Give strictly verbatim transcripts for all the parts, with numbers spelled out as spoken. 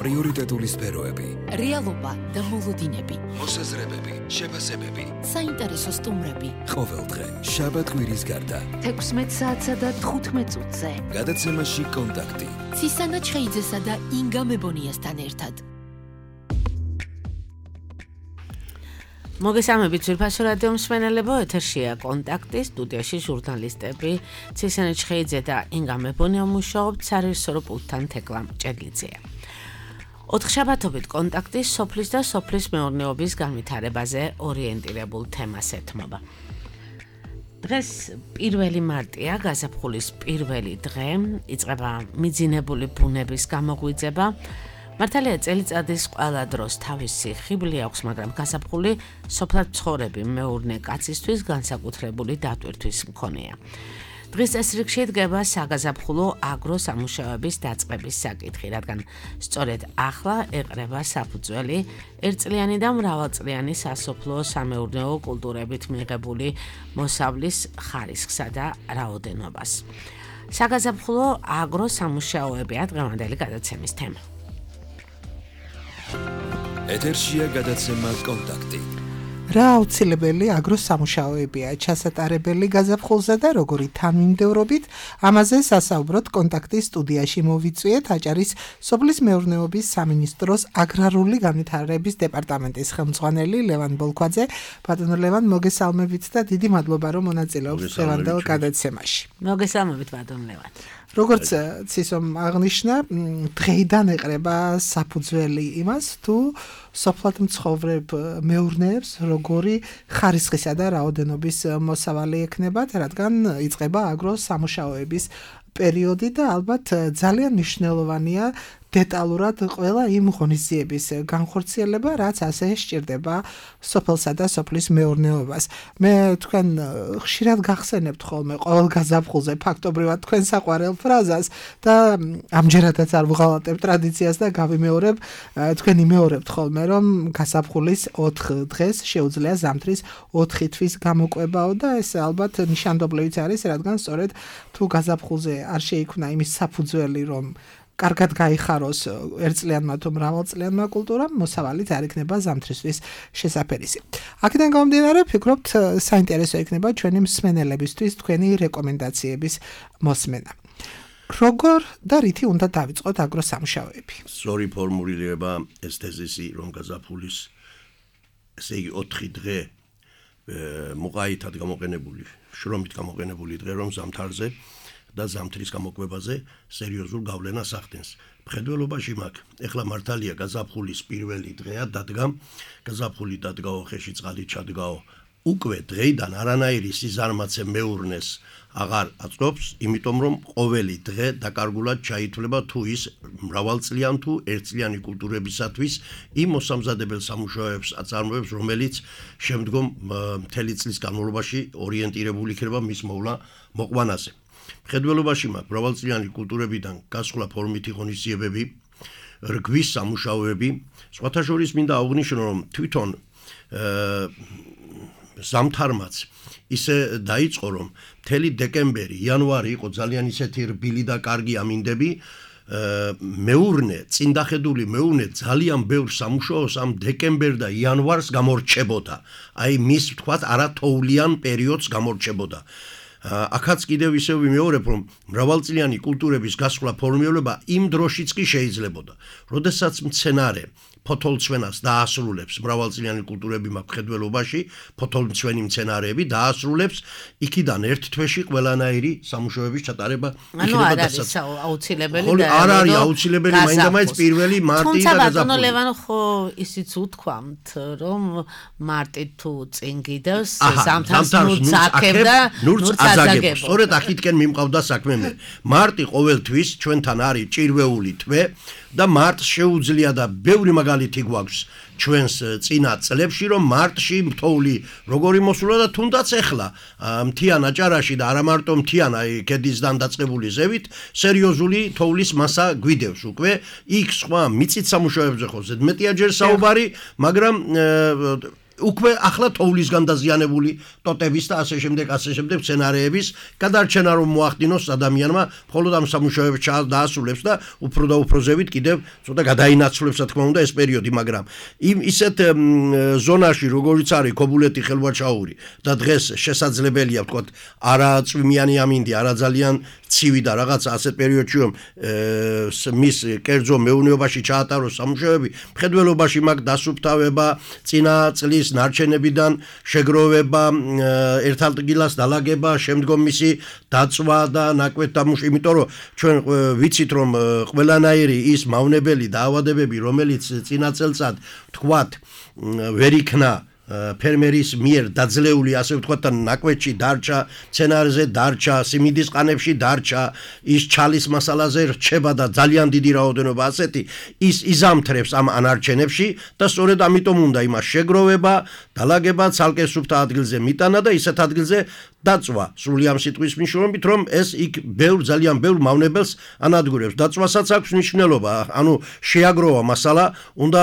პრიორიტეტული სფეროები, რეალობა და მოლოდინები, მოსაზრებები, შეფასებები, საინტერესო სტუმრები. ყოველდღე შაბათ-კვირის გარდა თექვსმეტ საათსა და თხუთმეტ წუთზე. გადაცემაში კონტაქტი. ცისანა ჩხეიძესა და ინგა მებონიასთან ერთად. მოგესალმებით ძვირფასო რადიო მსმენელებო, ეთერშია კონტაქტი, სტუდიაში ჟურნალისტები ცისანა ჩხეიძე და ინგა მებონია მუშაობთ, სარეჟისორო პულტთან თეკლა ჭედლიძეა. ოთხშაბათობით კონტაქტი სოფლის და სოფლის მეურნეობის განვითარებაზე ორიენტირებულ თემას ეთმობა. დღეს პირველი მარტია, გაზაფხულის პირველი დღე, იწყება მიძინებული ბუნების გამოღვიძება. მართალია წელიწადის ყველა დროს თავისი ხიბლი აქვს, მაგრამ გაზაფხული სოფლად მცხოვრები მეურნე კაცისთვის განსაკუთრებული დატვირთვის მქონეა. დღის წესრიგში დგება საგაზაფხულო აგროსამუშაოების დაწყების საკითხი, რადგან სწორედ ახლა ეყრება საფუძველი ერთწლიანი და მრავალწლიანი სასოფლო სამეურნეო კულტურებით მიღებული მოსავლის ხარისხსა და რაოდენობას. საგაზაფხულო აგროსამუშაოებია დღევანდელი გადაცემის თემა. ეთერშია გადაცემა კონტაქტი. რა აუცილებელი აგროსამუშაოებია ჩასატარებელი გაზაფხულზე და როგორი თანმიმდევრობით, ამაზე სასაუბროთ კონტაქტის სტუდიაში მოვიწვიეთ აჭარის სოფლის მეურნეობის სამინისტროს აგრარული განვითარების დეპარტამენტის ხელმძღვანელი ლევან ბოლქვაძე. ბატონო ლევან, მოგესალმებით და დიდი მადლობა, რომ მონაწილეობთ დღევანდელ გადაცემაში. მოგესალმებით ბატონო ლევან. როგორც ცისომ აღნიშნა, დღეიდან ეყრება საფუძველი იმას, თუ სოფლად მცხოვრებ მეურნეებს როგორი ხარისხისა და რაოდენობის მოსავალი ექნებათ, რადგან იწყება აგროსამუშაოების პერიოდი და ალბათ ძალიან მნიშვნელოვანია დეტალურად ყველა იმ ღონისძიების განხორციელება, რაც ასე სჭირდება სოფელსა და სოფლის მეურნეობას. მე თქვენ ხშირად გახსენებთ ხოლმე ყოველ გაზაფხულზე ფაქტობრივად თქვენ საყვარელ ფრაზას და ამჯერადაც არ ვღალატებ ტრადიციას და გავიმეორებ, თქვენ იმეორებთ ხოლმე, რომ გაზაფხულის ოთხ დღეს შეუძლია ზამთრის ოთხი თვის გამოკვებაო და ეს ალბათ ნიშანდობლივიც არის, რადგან სწორედ თუ გაზაფხულზე არ შეიქმნა იმის საფუძველი, რომ კარგად გაიხაროს ერთწლიანმა თუ მრავალწლიანმა კულტურამ, მოსავალიც არ იქნება ზამთრისთვის შესაფერისი. აქედან გამომდინარე, ვფიქრობთ, საინტერესო იქნება ჩვენი მსმენელებისთვის თქვენი რეკომენდაციების მოსმენა. როგორ და რითი უნდა დავიწყოთ აგროსამუშაოები? სწორი ფორმულირება ეს თეზისი, რომ გაზაფხულის ესე იგი ოთხი დღე მოყაითად გამოყენებული, შრომით გამოყენებული დღე, რომ ზამთარზე და ზამთრის გამოკვებაზე სერიოზულ გავლენას ახდენს. მხედველობაში მაგ, ეხლა მართალია გაზაფხულის პირველი დღეა დადგა, გაზაფხული დადგაო, ხეში წყალი ჩადგაო. უკვე დღეიდან არანაირი სიზარმაცე მეურნეს აღარ აწვობს, იმიტომ რომ ყოველი დღე დაკარგულად ჩაითვლება თუ ის მრავალწლიან თუ ერთწლიანი კულტურებისათვის იმ მოსამზადებელ სამუშაოებს აწარმოებს, რომელიც შემდგომ მთელი წლის განმავლობაში ორიენტირებული იქნება მის მოვლა მოყვანაზე. მხედველობაში მაგ მრავალწლიანი კულტურებიდან გასხლა ფორმითი ღონისძიებები, რგვის სამუშაოები, სხვათა შორის მინდა აღვნიშნო, რომ თვითონ ზამთარმაც ისე დაიწყო, რომ მთელი დეკემბერი, იანვარი იყო ძალიან ისეთი რბილი და კარგი ამინდები, მეურნე, წინდახედული მეურნე ძალიან ბევრ სამუშაოს ამ დეკემბერ და იანვარს გამორჩებოდა. აი მის თქვათ არათოვლიან პერიოდს გამორჩებოდა. აქაც კიდევ ისევ ვიმეორებ, რომ მრავალწლიანი კულტურების გასხლა ფორმირება იმ დროშიც კი შეიძლებოდა. როდესაც მცენარე ფოთოლმცვენას დაასრულებს, მრავალწლიანი კულტურები მაქვს მხედველობაში, ფოთოლმცვენი მცენარეები დაასრულებს, იქიდან ერთ თვეში ყველანაირი სამუშაოების ჩატარება იქნება ანუ არ არის აუცილებელი და არ არის აუცილებელი მაინდამაინც პირველი მარტი და გაზაფხული. თუმცა ბატონო ლევან, ხო ისიც უთქვამთ, რომ მარტი თუ წინ გიდევს, ზამთარს ნურც აქებდა, ნურც აზაგებს. სწორედ აქეთკენ მიმყავდა საქმე მე. მარტი ყოველთვის ჩვენთან არის ჭირვეული თვე და მარტს შეუძლია და ბევრი მაგალითი გვაქვს ჩვენს წინა წლებში, რომ მარტში მთოვლი როგორი მოსულა და თუნდაც ეხლა მთიან აჭარაში და არა მარტო მთიან, აი ქედისგან დაწყებული ზევით სერიოზული თოვლის მასა გვიდევს უკვე. იქ სხვა მიწით სამუშაოებზე ხო ზედმეტია ჯერ საუბარი, მაგრამ უკვე ახლა თოვლისგან დაზიანებული ტოტების და ასე შემდეგ ასე შემდეგ სცენარეების გადარჩენა რომ მოახდინოს ადამიანმა მხოლოდ ამ სამუშაოებს დაასრულებს და უფრო და უფრო ზევით კიდევ ცოტა გადაინაცვლებს რა თქმა უნდა ეს პერიოდი მაგრამ იმ ისეთ ზონაში როგორც არის ქობულეთი ხელვაჩაური და დღეს შესაძლებელია ვთქვათ არა წვიმიანი ამინდი არა ძალიან ცივი და რაღაცა ასეთ პერიოდში რომ მის კერძო მეურნეობაში ჩაატაროს სამუშაოები მხედველობაში მაგ დასუფთავება წინა წლის ნარჩენებიდან შეგროვება ერთადღილას დალაგება შემდგომ მისი დაწვა და ნაკვეთ დამუშავება იმიტომ რომ ჩვენ ვიცით რომ ყველანაირი ის მავნებელი დაავადებები რომელიც წინა წელწად თქვათ ვერ იქნა ფერმერის მიერ დაძლეული ასე ვთქვათ და ნაკვეთში დარჩა სცენარეზე დარჩა სიმინდის ყანებში დარჩა ის ჩალის მასალაზე რჩება და ძალიან დიდი რაოდენობა ასეთი ის იზამთრებს ამ ანარჩენებში და სწორედ ამიტომ უნდა იმას შეგროვება დალაგება ცალკე სუფთა ადგილზე მიტანა და ისეთ ადგილზე დაწვა სრული ამ სიტყვის მნიშვნელობით რომ ეს იქ ბევრ ძალიან ბევრ მავნებელს ანადგურებს დაწვასაც აქვს მნიშვნელობა ანუ შეაგროვა მასალა უნდა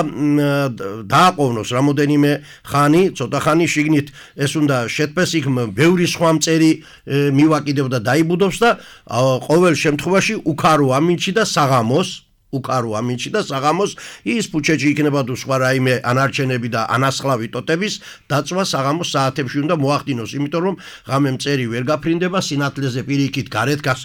დააყოვნოს რამოდენიმე ხანი ცოტა ხანი შიგნით ეს უნდა შეტყეს იქ ბევრი სხვა მწერი მივაკიდებ და დაიბუდობს და ყოველ შემთხვევაში უკარო ამინჩი და საღამოს უკარო ამინჩი და საღამოს ის ფუჩეჭი იქნება თუ სხვა რაიმე ანარჩენები და ანასხლავი ტოტების დაწვა საღამოს საათებში უნდა მოახდინოს იმიტომ რომ ღამე მწერი ვერ გაფრინდება სინათლეზე პირიქით გარეთ გას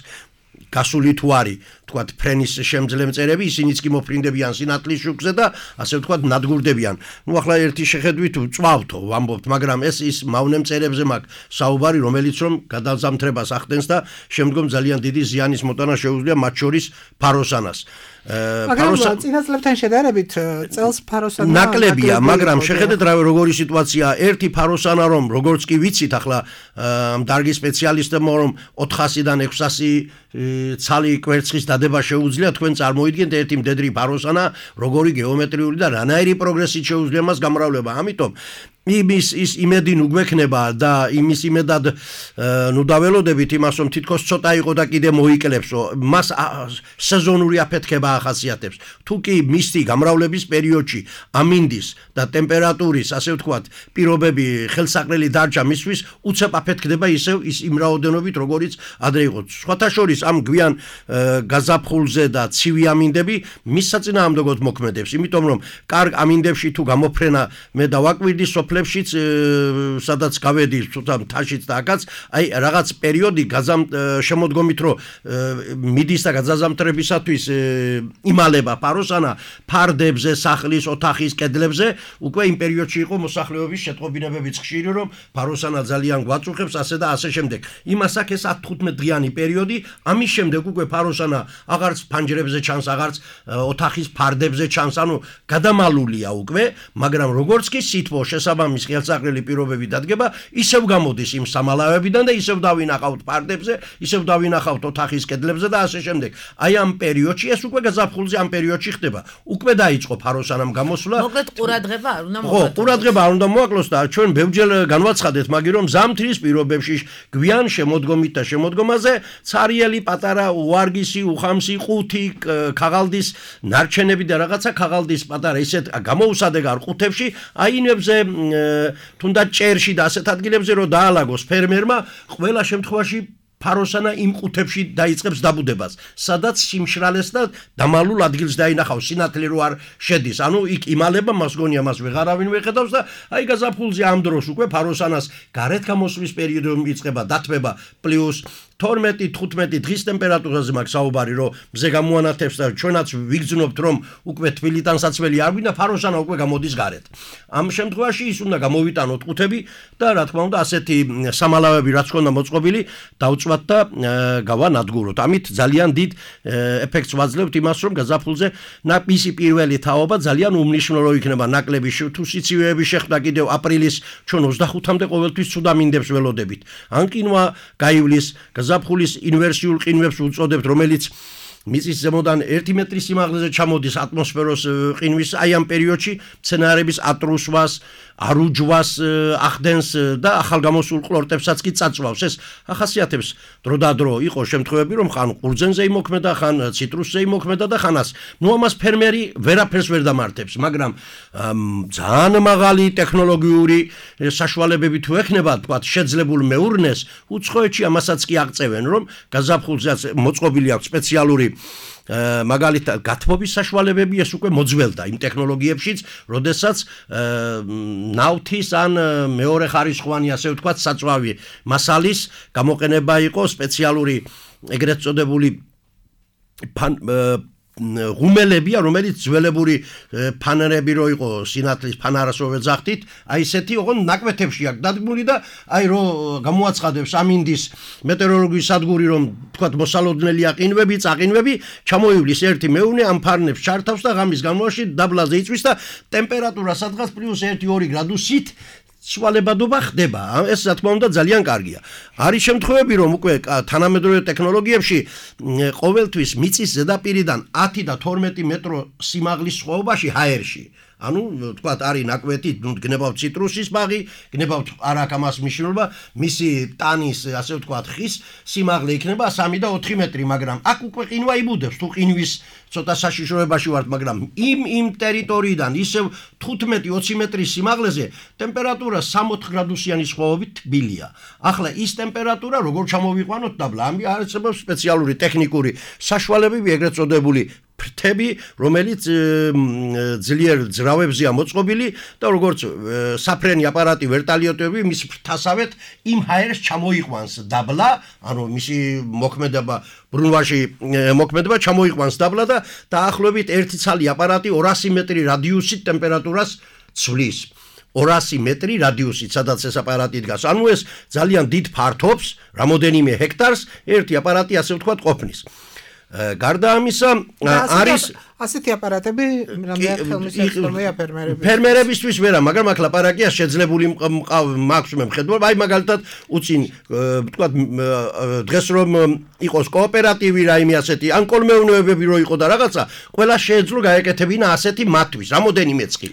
გასული თუ არის თქვათ ფრენის შემძლე მწერები ისინიც კი მოფრინდებიან სინათლის შუქზე და ასე ვთქვათ ნადგურდებიან ნუ ახლა ერთი შეხედვით წვავთო ვამბობთ მაგრამ ეს ის მავნე მწერებზე მაქვს საუბარი რომელიც რომ გადაზამთრებას ახდენს და შემდგომ ძალიან დიდი ზიანის მოტანა შეუძლია მათ შორის ფაროსანას მაგრამ წინა წლებთან შედარებით წელს ფაროსანა ნაკლებია მაგრამ შეხედეთ რა როგორი სიტუაცია ერთი ფაროსანა რომ როგორც კი ვიცით ახლა დარგი სპეციალისტებმა რომ ოთხასიდან ექვსასი ცალი კვერცხის დადება შეუძლია თქვენ წარმოიდგინეთ ერთი მდედრი ფაროსანა როგორი გეომეტრიული და რანაირი პროგრესით შეუძლია მას გამრავლება ამიტომ იმის ის იმედი ნუ გვექნება და იმის იმედად ნუ დაველოდებით იმას რომ თითქოს ცოტა იყო და კიდე მოიკლებსო მას სეზონური აფეთქება ახასიათებს თუ კი მისთი გამრავლების პერიოდში ამინდის და ტემპერატურის ასე ვთქვათ პირობები ხელსაყრელი დარჩა მისთვის უცებ აფეთქდება ისევ ის იმ რაოდენობით როგორიც ადრე იყო სხვათა შორის ამ გვიან გაზაფხულზე და ცივი ამინდები მის საწინააღმდეგოდ მოქმედებს იმიტომ რომ კარგ ამინდებში თუ გამოფრენა მე დავაკვირდი სოფლებში სადაც გავედი ცოტა მთაშიც და აქაც აი რაღაც პერიოდი გაზამ შემოდგომით რომ მიდის და გაზამთრებისათვის იმალება ფაროსანა ფარდებზე სახლის ოთახის კედლებზე უკვე იმ პერიოდში იყო მოსახლეობის შეტყობინებებიც ხშირი რომ ფაროსანა ძალიან გვაწუხებს ასე და ასე შემდეგ იმას აქ ეს ათი-თხუთმეტ დღიანი პერიოდი ამის შემდეგ უკვე ფაროსანა აღარც ფანჯრებზე ჩანს აღარც ოთახის ფარდებზე ჩანს ანუ გადამალულია უკვე მაგრამ როგორც კი სითბო შესაბამისად მის ხელსაყრელი პირობები დადგება ისევ გამოდის იმ სამალავებიდან და ისევ დავინახავთ ფარდებზე ისევ დავინახავთ ოთახის კედლებზე და ასე შემდეგ აი ამ პერიოდში ეს უკვე გაზაფხულზე ამ პერიოდში ხდება უკვე დაიწყო ფაროსანამ გამოსვლა მოკლედ ყურადღება არ უნდა მოაკლოს ხო ყურადღება არ უნდა მოაკლოს და ჩვენ ბევრჯერ განვაცხადეთ მაგ რომ ზამთრის პირობებში გვიან შემოდგომით და შემოდგომაზე ცარიელი პატარა უარგისი უხამსი ყუთი ქაღალდის ნარჩენები და რაღაცა ქაღალდის პატარა ისეთ გამოუსადეგარ ყუთებში აინებზე თუნდაც ჭერში და ასეთ ადგილებზე რომ დაალაგოს ფერმერმა ყველა შემთხვევაში ფაროსანა იმ ყუთებში დაიწყებს დაბუდებას სადაც სიმშრალეს და დამალულ ადგილს დაინახავს სინათლე რო არ შედის ანუ იქ იმალება მას გონია მას ვეღარავინ ვეხედავს და აი გაზაფხულზე ამ დროს უკვე ფაროსანას გარეთ გამოსვლის პერიოდი იწყება დათმება პლუს თორმეტი თხუთმეტი დღის ტემპერატურაზე მაქვს საუბარი რომ მზე გამოანათებს და ჩვენაც ვიგრძნობთ რომ უკვე თბილიდან საცველი არ გვინდა ფაროსანა უკვე გამოდის გარეთ ამ შემთხვევაში ის უნდა გამოვიტანოთ ყუთები და რა თქმა უნდა ასეთი სამალავები რაც ქონდა მოწყობილი დავწვათ და გავანადგუროთ ამით ძალიან დიდ ეფექტს ვაძლევთ იმას რომ გაზაფხულზე მისი პირველი თაობა ძალიან უმნიშვნელო იქნება ნაკლები თუ სიცივეები შეხვდა კიდევ აპრილის ჩვენ ოცდახუთამდე ყოველთვის ცუდ ამინდებს ველოდებით ან კინვა გაივლის ზაფხულის ინვერსიულ ყინვებს უწოდებთ, რომელიც მიწის ზემოდან ერთი მეტრი სიმაღლეზე ჩამოდის ატმოსფეროს ყინვის, აი ამ პერიოდში მცენარეების ატრუსვას, არუჯვას ახდენს და ახალგამოსულ ყლორტებსაც კი წაწვავს. ეს ახასიათებს დროდადრო იყო შემთხვევები, რომ ხან ყურძენზე იმოქმედა, ხან ციტრუსზე იმოქმედა და ხანას. ნუ ამას ფერმერი ვერაფერს ვერ დამართებს, მაგრამ ძალიან მაღალი ტექნოლოგიური საშუალებები თუ ექნება, თქვათ, შეძლებულ მეურნეს, უცხოეთში ამასაც კი აღწევენ, რომ გაზაფხულზეც მოწყობილი აქვს სპეციალური მაგალითად გათბობის საშუალებები, ეს უკვე მოძველდა იმ ტექნოლოგიებშიც, როდესაც ნავთის ან მეორე ხარისხოვანი, ასე ვთქვათ, საწვავი მასალის გამოყენება იყო სპეციალური ეგრეთ წოდებული ღუმელებია, რომელიც ძველებური ფანერები რო იყო სინათლის ფანარასოვე ძახტით, აი ესეთი ოღონ ნაკვეთებში აქვს დადგმული და აი რო გამოაცხადებს ამინდის მეტეოროლოგიის სადგური, რომ თქვათ მოსალოდნელია ყინვები, წაყინვები, ჩამოივლის ერთი მეუნე ამ ფარნებს ჩართავს და ღამის განმავლობაში დაბლაზე იწვის და ტემპერატურა სადღაც პლუს ერთი ორი გრადუსით სვალებადობა ხდება. ეს რა თქმა უნდა ძალიან კარგია. არის შემთხვევები, რომ უკვე თანამედროვე ტექნოლოგიებში ყოველთვის მიწის ზედაპირიდან ათი და თორმეტი მეტრო სიმაღლის სხვაობაში ჰაერში. ანუ თქვათ არის ნაკვეთი, ნუ გნებავთ ციტრუსის ბაღი, გნებავთ არ აქვს ამას მნიშვნელობა, მისი ტანის, ასე ვთქვათ, ხის სიმაღლე იქნება სამი და ოთხი მეტრი, მაგრამ აქ უკვე ყინვა იბუდებს, თუ ყინვის ცოტა საშიშროებაში ვართ, მაგრამ იმ იმ ტერიტორიიდან ისევ თხუთმეტი ოცი მეტრის სიმაღლეზე ტემპერატურა სამოთხ გრადუსიანი სხვაობით თბილია. ახლა ის ტემპერატურა როგორ ჩამოვიყვანოთ დაბლა? ამი არსებობს სპეციალური ტექნიკური საშუალებები, ეგრეთ წოდებული ფრთები, რომელიც ძლიერ ძრავებზეა მოწყობილი და როგორც საფრენი აპარატი ვერტალიოტები მის ფრთასავეთ იმ ჰაერს ჩამოიყვანს დაბლა, ანუ მისი მოქმედება ბრუნვაში მოქმედება ჩამოიყვანს დაბლა და დაახლოებით ერთი ცალი აპარატი ორასი მეტრი რადიუსით ტემპერატურას ცვლის. ორასი მეტრი რადიუსით, სადაც ეს აპარატი დგას. ანუ ეს ძალიან დიდ ფართობს, რამოდენიმე ჰექტარს ერთი აპარატი, ასე ვთქვათ, ყოფნის. გარდა ამისა არის ასეთი აპარატები რამდენად ხელმისაწვდომია ფერმერებისთვის? ფერმერებისთვის ვერა, მაგრამ აქ ლაპარაკია შეძლებული მაქვს მე მხედველობა, აი მაგალითად უწინ ვთქვათ დღეს რომ იყოს კოოპერატივი რაიმე ასეთი, ან კოლმეურნეობები რო იყო და რაღაცა, ყველა შეეძლო გაეკეთებინა ასეთი მათთვის, რამოდენიმეც კი.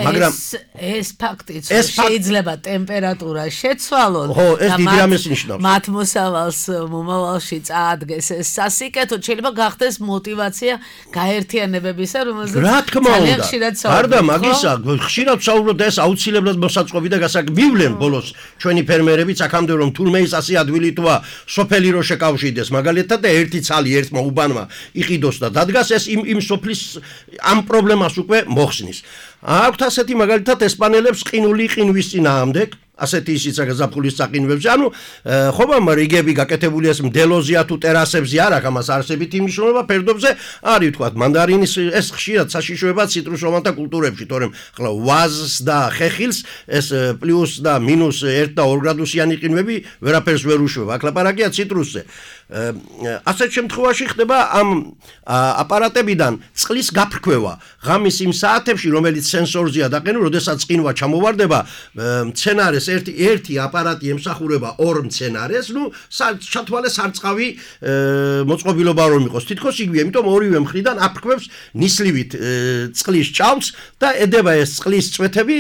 მაგრამ ეს ფაქტიც შეიძლება ტემპერატურა შეცვალონ და მათ მოსავალს მომავალში წაადგეს ეს სასიკეთო, შეიძლება გახდეს мотивация გაერთიანებისა, რომელზეც რა თქმა უნდა, გარდა მაგისა, ხშირად ვსაუბრობ და ეს აუცილებლად მოსაწყობი და გასაგმივლენ ბოლოს ჩვენი ფერმერებიც აქამდე რომ თურმე ის ასე ადვილი თვა სოფელი რო შეკავშირდეს მაგალითად და ერთი ცალი ერთმა უბანმა იყიდოს და დადგას, ეს იმ იმ სოფლის ამ პრობლემას უკვე მოხსნის. აქვთ ასეთი მაგალითად ესპანელებს ყინული ყინვის წინააღმდეგ, ასეთი ისიც გაზაფხულის წაყინვებზე, ანუ ხომ რიგები გაკეთებული ეს მდელოზია თუ ტერასებზე არ აქვს ამას არსებითი მნიშვნელობა, ფერდობზე არის ვთქვათ მანდარინის ეს ხშირად საშიშროება ციტრუსოვანთა კულტურებში, თორემ ახლა ვაზს და ხეხილს ეს პლუს და მინუს ერთი და ორი გრადუსიანი ყინვები ვერაფერს ვერ უშვება. აქ ლაპარაკია ციტრუსზე. ასეთ შემთხვევაში ხდება ამ აპარატებიდან წყლის გაფრქვევა ღამის იმ საათებში, რომელიც სენსორზეა დაყენებული, როდესაც ყინვა ჩამოვარდება მცენარეს ერთი ერთი აპარატი ემსახურება ორ მცენარეს, ნუ ჩათვალე სარწყავი მოწყობილობა რომ იყოს. თითქოს იგივე, იმიტომ ორივე მხრიდან აფრქვევს ნისლივით წყლის ჭამს და ედება ეს წყლის წვეთები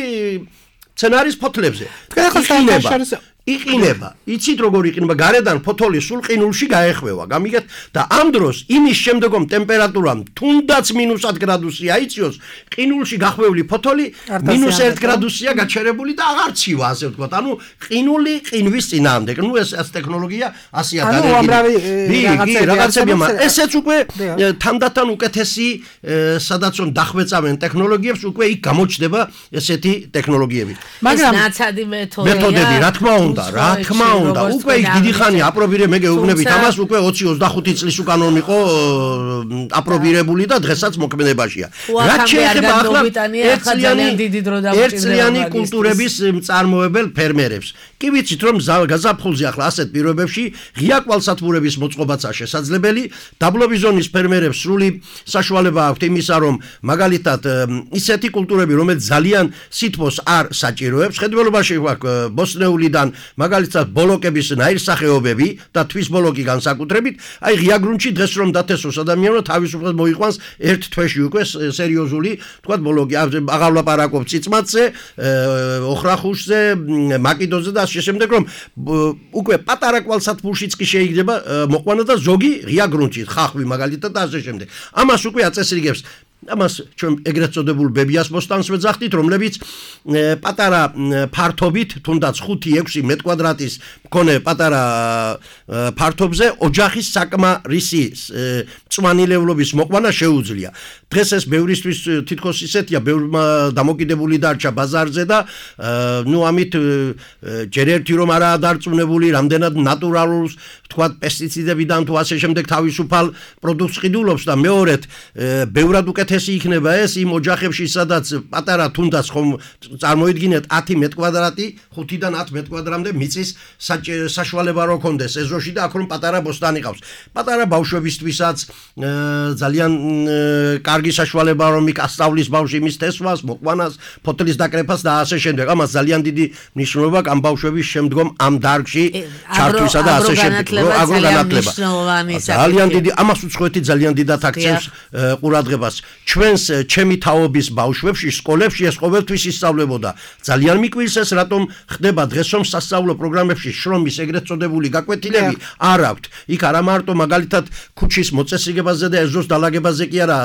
მცენარის ფოთლებზე. იყინება. იცით როგორ იყინება? გარედან ფოთოლი სულ ყინულში გაეხვევა. გამიგეთ და ამ დროს იმის შემდეგომ ტემპერატურამ თუნდაც მინუს ათ გრადუსი აიწიოს, ყინულში გახვეული ფოთოლი მინუს ერთ გრადუსია გაჩერებული და აღარ ცივა, ასე ვთქვათ. ანუ ყინული ყინვის წინააღმდეგ. ნუ ეს ეს ტექნოლოგია ასია დანერგილი. რაღაცები, მაგრამ ესეც უკვე თანდათან უკეთესი სადაც რომ დახვეწავენ ტექნოლოგიებს, უკვე იქ გამოჩნდება ესეთი ტექნოლოგიები. მაგრამ ნაცადი მეთოდია. მეთოდები, რა თქმა უნდა რა თქმა უნდა, უკვე იქ დიდი ხანი აპრობირე მე გეუბნებით ამას, უკვე ოცი ოცდახუთი წლის უკანონ იყო აპრობირებული და დღესაც მოქმედებაშია. რაც შეეხება ახლა ერთწლიანი კულტურების მწარმოებელ ფერმერებს. კი ვიცით რომ გაზაფხულზე ახლა ასეთ პირობებში ღია კვალსათბურების მოწყობაცაა შესაძლებელი, დაბლობის ზონის ფერმერებს სრული საშუალება აქვთ იმისა, რომ მაგალითად ისეთი კულტურები, რომელიც ძალიან სითბოს არ საჭიროებს, ხედველობაში გვაქვს ბოსტნეულიდან მაგალითად ბოლოკების ნაირსახეობები და თვის ბოლოკი განსაკუთრებით, აი ღია გრუნტში დღეს რომ დათესოს ადამიანმა თავისუფლად მოიყვანს ერთ თვეში უკვე სერიოზული, თქვა ბოლოკი, აღარ ვლაპარაკობ წიწმაცზე, ოხრახუშზე, მაკიდოზე და ასე შემდეგ, რომ უკვე პატარა კვალსათბურშიც კი შეიძლება მოყვანა და ზოგი ღია გრუნტში, ხახვი მაგალითად და ასე შემდეგ. ამას უკვე აწესრიგებს ამას ჩვენ ეგრეთ წოდებულ ბებიას ბოსტანს ვეძახდით, რომლებიც პატარა ფართობით, თუნდაც ხუთი ექვსი მეტკვადრატის მქონე პატარა ფართობზე ოჯახის საკმარისი წვანილევლობის მოყვანა შეუძლია. დღეს ეს ბევრისთვის თითქოს ისეთია, ბევრმა დამოკიდებული დარჩა ბაზარზე და ნუ ამით ჯერ ერთი რომ არაა დარწმუნებული, რამდენად ნატურალურს, თქვათ პესტიციდებიდან თუ ასე შემდეგ თავისუფალ პროდუქტს ყიდულობს და მეორედ ბევრად უკეთესი იქნება ეს იმ ოჯახებში, სადაც პატარა თუნდაც ხომ წარმოიდგინეთ ათი მეტკვადრატი, ხუთიდან ათ მეტკვადრატამდე მიწის საშუალება რო კონდეს ეზოში და აქ რომ პატარა ბოსტანი ყავს. პატარა ბავშვებისთვისაც ძალიან კარგი საშუალება რომ იქ ასწავლის ბავშვი მის თესვას, მოყვანას, ფოთლის დაკრეფას და ასე შემდეგ. ამას ძალიან დიდი მნიშვნელობა ამ ბავშვების შემდგომ ამ დარგში ჩართვისა და ასე შემდეგ. აგროგანათლება ძალიან დიდი, ამას უცხოეთი ძალიან დიდად აქცევს ყურადღებას. ჩვენს ჩემი თაობის ბავშვებში, სკოლებში ეს ყოველთვის ისწავლებოდა. ძალიან მიკვირს ეს, რატომ ხდება დღეს რომ სასწავლო პროგრამებში შრომის ეგრეთ წოდებული გაკვეთილები არ აქვთ. იქ არა მარტო მაგალითად ქუჩის მოწესრიგებაზე და ეზოს დალაგებაზე კი არა,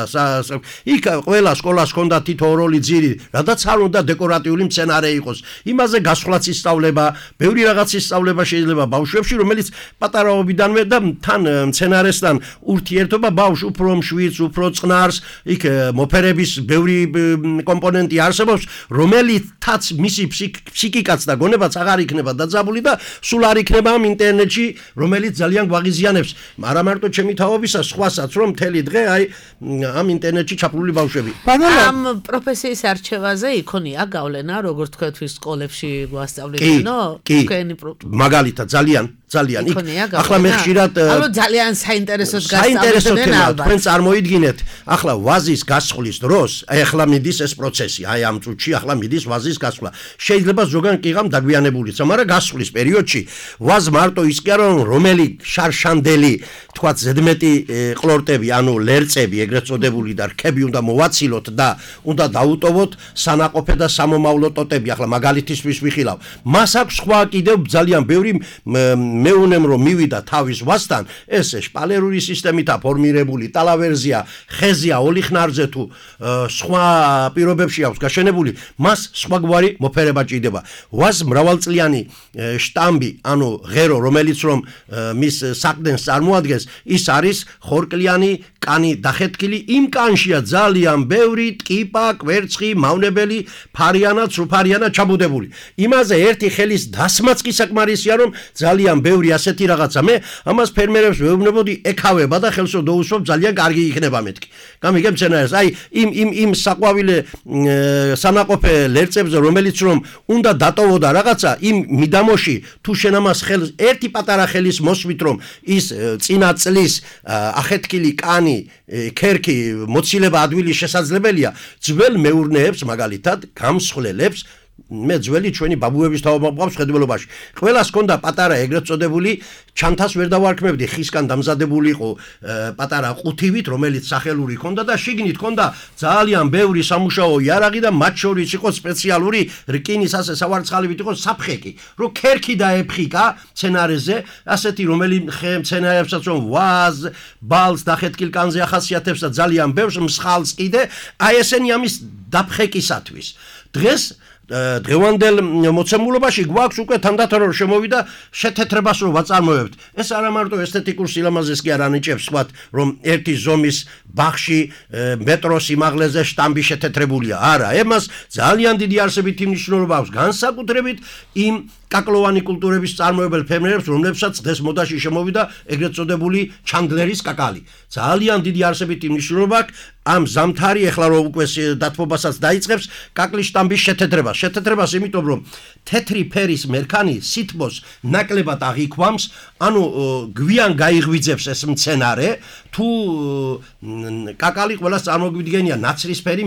იქ ყველა სკოლას ჰქონდა თითო ორ-ორი ძირი, რადგან არ უნდა დეკორატიული მცენარე იყოს. იმაზე გასვლაც ისწავლება, ბევრი რაღაც ისწავლება შეიძლება ბავშვებში, რომელიც პატარაობიდანვე და თან მცენარესთან ურთიერთობა ბავშვს უფრო მშვიდს, უფრო წყნარს, იქ მოფერების ბევრი კომპონენტი არსებობს, რომელითაც მისი ფსიქიკაც და გონებაც აღარ იქნება დაძაბული და სულ არ იქნება ამ ინტერნეტში, რომელიც ძალიან გვაღიზიანებს. არა მარტო ჩემი თაობისა, სხვასაც რომ მთელი დღე აი ამ ინტერნეტში ჩაფლული ბავშვები. ამ პროფესიის არჩევაზე იქონია გავლენა, როგორც თქვენ თვის სკოლებში გვასწავლეთნო? თქვენი მაგალითად ძალიან ძალიან იქ ახლა მე ხშირად ალბათ ძალიან საინტერესოდ გასწავლდნენ ალბათ. თქვენ წარმოიდგინეთ, ახლა ვაზის გასხლის დროს, აი ახლა მიდის ეს პროცესი, აი ამ წუთში ახლა მიდის ვაზის გასხლა. შეიძლება ზოგან კიღამ დაგვიანებულიც, მაგრამ გასხლის პერიოდში ვაზ მარტო ის კი არა რომ რომელი შარშანდელი, თქვათ ზედმეტი ყლორტები, ანუ ლერწები, ეგრეთ წოდებული და რქები უნდა მოვაცილოთ და უნდა დაუტოვოთ სანაყოფე და სამომავლო ტოტები. ახლა მაგალითისთვის ვიხილავ. მას აქვს სხვა კიდევ ძალიან ბევრი მეუნემ რომ მივიდა თავის ვასთან, ეს შპალერული სისტემითა ფორმირებული ტალავერზია, ხეზია, ოლიხნარზე თუ სხვა პირობებში აქვს გაშენებული, მას სხვაგვარი მოფერება ჭირდება. ვაზ მრავალწლიანი შტამბი, ანუ ღერო, რომელიც რომ მის საყდენს წარმოადგენს, ის არის ხორკლიანი კანი დახეთქილი, იმ კანშია ძალიან ბევრი ტკიპა, კვერცხი, მავნებელი, ფარიანა, ცრუფარიანა ჩაბუდებული. იმაზე ერთი ხელის დასმაც კი საკმარისია, რომ ძალიან ბევრი ასეთი რაღაცა მე ამას ფერმერებს ვეუბნებოდი ეკავება და ხელს დაუსვამ ძალიან კარგი იქნება მეთქი. გამიგებ მცენარეს, აი იმ იმ იმ საყვავილე სანაყოფე ლერწებზე, რომელიც რომ უნდა დატოვოდა რაღაცა, იმ მიდამოში თუ შენ ამას ხელს ერთი პატარა ხელის მოსვით რომ ის წინა წლის ახეთქილი კანი, ქერქი, მოცილება ადვილი შესაძლებელია, ძველ მეურნეებს მაგალითად გამსხლელებს მე ძველი ჩვენი ბაბუების თაობა მყავს ხედველობაში. ყველას ჰქონდა პატარა ეგრეთ წოდებული ჩანთას ვერ დავარქმევდი, ხისგან დამზადებული იყო პატარა ყუთივით, რომელიც სახელური ჰქონდა და შიგნით ჰქონდა ძალიან ბევრი სამუშაო იარაღი და მათ შორის იყო სპეციალური რკინის ასე სავარცხალივით იყო საფხეკი, რომ ქერქი დაეფხიკა მცენარეზე, ასეთი რომელი მცენარეებსაც რომ ვაზ, ბალს დახეთქილ კანზე ახასიათებს და ძალიან ბევრს მსხალს კიდე, აი ესენი ამის დაფხეკისათვის. დღეს დღევანდელ მოცემულობაში გვაქვს უკვე თანდათან რომ შემოვიდა შეთეთრებას რომ ვაწარმოებთ. ეს არა მარტო ესთეტიკურ სილამაზეს კი არ ანიჭებს, ვთქვათ, რომ ერთი ზომის ბაღში მეტროს სიმაღლეზე შტამბი შეთეთრებულია. არა, ემას ძალიან დიდი არსებითი მნიშვნელობა აქვს, განსაკუთრებით იმ კაკლოვანი კულტურების წარმოებელ ფერმერებს, რომლებსაც დღეს მოდაში შემოვიდა ეგრეთ წოდებული ჩანდლერის კაკალი. ძალიან დიდი არსებითი მნიშვნელობა აქვს ამ ზამთარი ეხლა რომ უკვე დათბობასაც დაიწყებს კაკლის შტამბის შეთეთრებას. შეთეთრებას იმიტომ რომ თეთრი ფერის მერქანი სითბოს ნაკლებად აღიქვამს, ანუ გვიან გაიღვიძებს ეს მცენარე, თუ კაკალი ყველას წარმოგვიდგენია ნაცრისფერი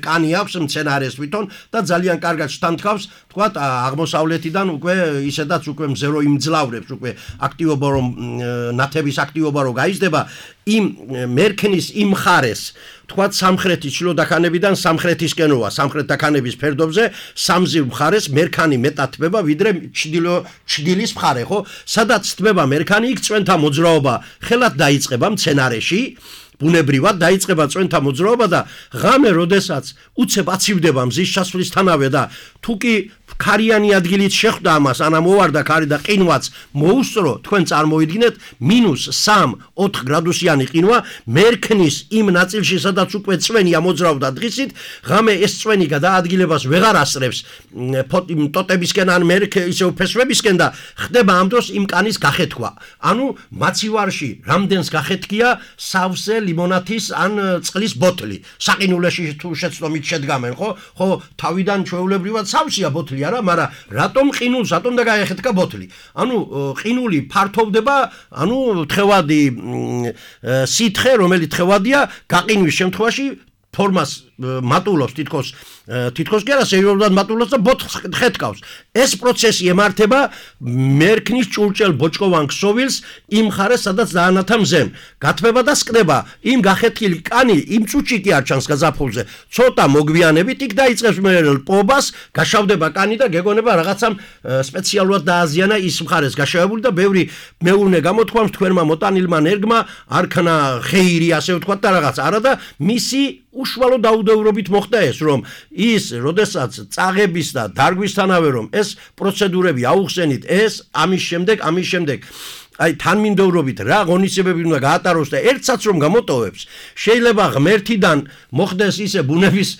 კანი აქვს მცენარეს თვითონ და ძალიან კარგად შთანთქავს თქვათ აღმოსავლეთიდან უკვე ისედაც უკვე მზერო იმძლავრებს უკვე აქტივობა რომ ნათების აქტივობა რო გაიზრდება იმ მერქნის იმ მხარეს თქვათ სამხრეთის ჩრდილოდაქანებიდან სამხრეთისკენოა სამხრეთდაქანების ფერდობზე სამზირ მხარეს მერქანი მეტად თბება ვიდრე ჩრდილო ჩრდილის მხარე ხო სადაც თბება მერქანი იქ წვენთა მოძრაობა ხელად დაიწყება მცენარეში ბუნებრივად დაიწყება წვენთა მოძრაობა და ღამე როდესაც უცებ აცივდება მზის ჩასვლისთანავე და თუ კი ქარიანი ადგილით შეხვდა ამას ანა მოვარდა ქარი და ყინვაც მოუსწრო თქვენ წარმოიდგინეთ მინუს სამი ოთხ გრადუსიანი ყინვა მერქნის იმ ნაწილში სადაც უკვე წვენია მოძრავდა დღისით ღამე ეს წვენი გადაადგილებას ვეღარ ასწრებს ტოტებისკენ ან მერქ ისევ ფესვებისკენ და ხდება ამ დროს იმ კანის გახეთქვა ანუ მაცივარში რამდენს გახეთქია სავსე ლიმონათის ან წყლის ბოთლი საყინულეში თუ შეცდომით შედგამენ ხო ხო თავიდან ჩვეულებრივად სავსეა ბოთლი არა მაგრამ რატომ ყინულს რატომ და გაეხეთქა ბოთლი ანუ ყინული ფართოვდება ანუ თხევადი სითხე რომელიც თხევადია გაყინვის შემთხვევაში ფორმას მატულობს თითქოს თითქოს კი არა სერიოზულად მატულობს და ბოთლს ხეთქავს ეს პროცესი ემართება მერქნის ჭურჭელ ბოჭკოვან ქსოვილს იმ მხარეს სადაც დაანათა მზემ გათბება და სკდება იმ გახეთქილი კანი იმ წუთში კი არ ჩანს გაზაფხულზე ცოტა მოგვიანებით იქ დაიწყებს მე ლპობას გაშავდება კანი და გეგონება რაღაცამ სპეციალურად დააზიანა ის მხარეს გაშავებული და ბევრი მეურნე გამოთქვამს თქვენმა მოტანილმა ნერგმა არქნა ხეირი ასე ვთქვათ და რაღაც არა და მისი უშუალო დაუდევრობით მოხდა ეს რომ ის როდესაც წაღების და დარგვისთანავე რომ ეს პროცედურები აუხსენით ეს ამის შემდეგ ამის შემდეგ აი თანმიმდევრობით რა ღონისძიებები უნდა გაატაროს და ერთსაც რომ გამოტოვებს შეიძლება ღმერთიდან მოხდეს ისე ბუნების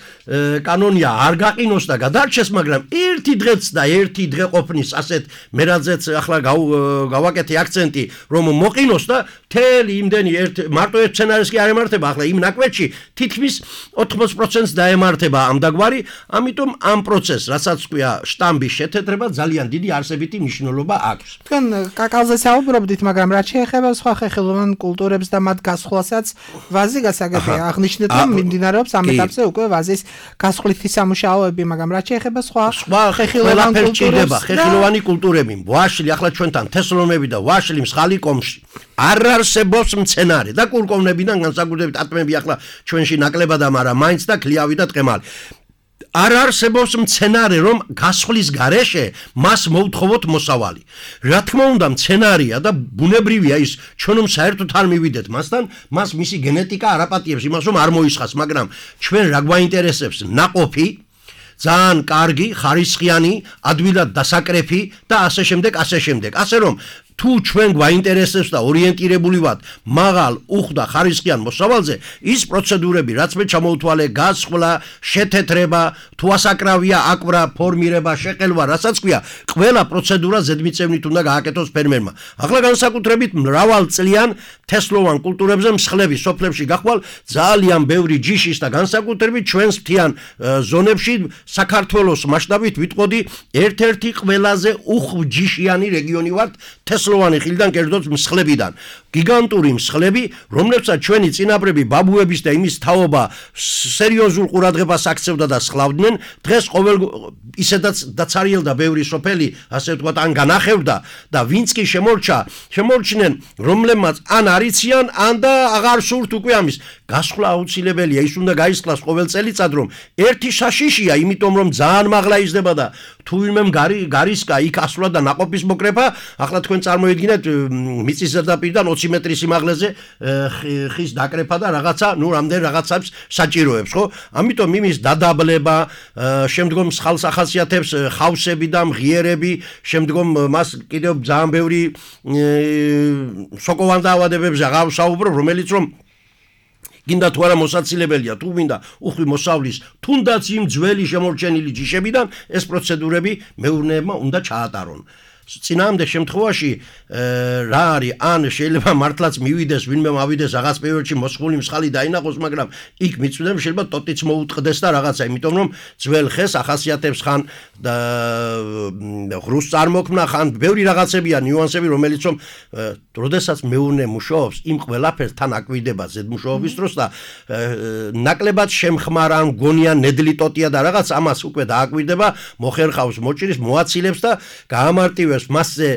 კანონია არ გაყინოს და გადარჩეს მაგრამ ერთი დღეც და ერთი დღე ყოფნის ასეთ მერაძეც ახლა გავაკეთე აქცენტი რომ მოყინოს და თელი იმდენი ერთ მარტო ერთ სცენარეს კი არ ემართება ახლა იმ ნაკვეთში თითქმის ოთხმოცდაოთხ პროცენტს დაემართება ამ დაგვარი ამიტომ ამ პროცესს რასაც ქვია შტამბის შეთეთრება ძალიან დიდი არსებითი მნიშვნელობა აქვს თქვენ კაკალზე საუბრობთ მაგრამ რაც შეეხება სხვა ხეხილოვან კულტურებს და მათ გასხვლასაც ვაზი გასაგებია აღნიშნეთ რომ მიმდინარეობს ამ ეტაპზე უკვე ვაზის გასხვლითი სამუშაოები მაგრამ რაც შეეხება სხვა ხეხილოვან კულტურებს ხეხილოვანი კულტურები ვაშლი ახლა ჩვენთან თესლონები და ვაშლი მსხალი კომში არ არსებობს მცენარე და კურკოვნებიდან განსაკუთრებით ატმები ახლა ჩვენში ნაკლებად მაგრამ მაინც და ქლიავი და ტყემალი არ არსებობს მცენარე რომ გასხლის გარეშე მას მოვთხოვოთ მოსავალი რა თქმა უნდა მცენარია და ბუნებრივია ის ჩვენ რომ საერთოდ არ მივიდეთ მასთან მას მისი გენეტიკა არ აპატიებს იმას რომ არ მოისხას მაგრამ ჩვენ რა გვაინტერესებს ნაყოფი ძალიან კარგი ხარისხიანი ადვილად დასაკრეფი და ასე შემდეგ ასე შემდეგ ასე რომ თუ ჩვენ გვაინტერესებს და ორიენტირებული ვართ მაღალ უხდა ხარისხიან მოსავალზე ის პროცედურები რაც მე ჩამოვთვალე გასხლა შეთეთრება თუ ასაკრავია აკვრა ფორმირება შეყელვა რასაც ქვია ყველა პროცედურა ზედმიწევნით უნდა გააკეთოს ფერმერმა ახლა განსაკუთრებით მრავალწლიან თესლოვან კულტურებზე მსხლები სოფლებში გახვალ ძალიან ბევრი ჯიშის და განსაკუთრებით ჩვენს მთიან ზონებში საქართველოს მასშტაბით ვიტყოდი ერთ-ერთი ყველაზე უხჯიშიანი რეგიონი ვართ თესლოვანი ხილიდან კერძოდ მსხლებიდან გიგანტური მსხლები რომლებსაც ჩვენი წინაპრები ბაბუების და იმის თაობა სერიოზულ ყურადღებას აქცევდა და სხლავდნენ დღეს ყოველ ისედაც დაცარიელდა ბევრი სოფელი ასე ვთქვათ ან განახევდა და ვინც კი შემორჩა შემორჩნენ რომლებმაც ან არიციან ან და აღარ სურთ უკვე ამის გასხლა აუცილებელია ის უნდა გაისხლას ყოველ წელიწად რომ ერთი საშიშია იმიტომ რომ ძალიან მაღლა იზრდება და თუ ვინმემ გარისკა იქ ასვლა და ნაყოფის მოკრეფა ახლა თქვენ წარმოიდგინეთ მიწის ზედაპირიდან ოცი მეტრის სიმაღლეზე ხის დაკრეფა და რაღაცა ნუ რამდენ რაღაცებს საჭიროებს ხო ამიტომ იმის დადაბლება შემდგომ სხალს ახასიათებს ხავსები და მღიერები შემდგომ მას კიდევ ძალიან ბევრი სოკოვან დაავადებებზე აღარ ვსაუბრობ რომელიც რომ გინდა თუ არა მოსაცილებელია თუ მინდა უხვი მოსავლის თუნდაც იმ ძველი შემორჩენილი ჯიშებიდან ეს პროცედურები მეურნეებმა უნდა ჩაატარონ წინააღმდეგ შემთხვევაში რა არის ან შეიძლება მართლაც მივიდეს ვინმე მავიდეს რაღაც პერიოდში მოსხული მსხალი დაინახოს მაგრამ იქ მიწვიდან შეიძლება ტოტიც მოუტყდეს და რაღაცა იმიტომ რომ ძველ ხეს ახასიათებს ხან ღრუს წარმოქმნა ხან ბევრი რაღაცებია ნიუანსები რომელიც რომ როდესაც მეურნე მუშაობს იმ ყველაფერს თან აკვირდება ზედმუშაობის დროს და ნაკლებად შემხმარა ან გონია ნედლი ტოტია და რაღაც ამას უკვე დააკვირდება მოხერხავს მოჭრის მოაცილებს და გაამარტივებს მასზე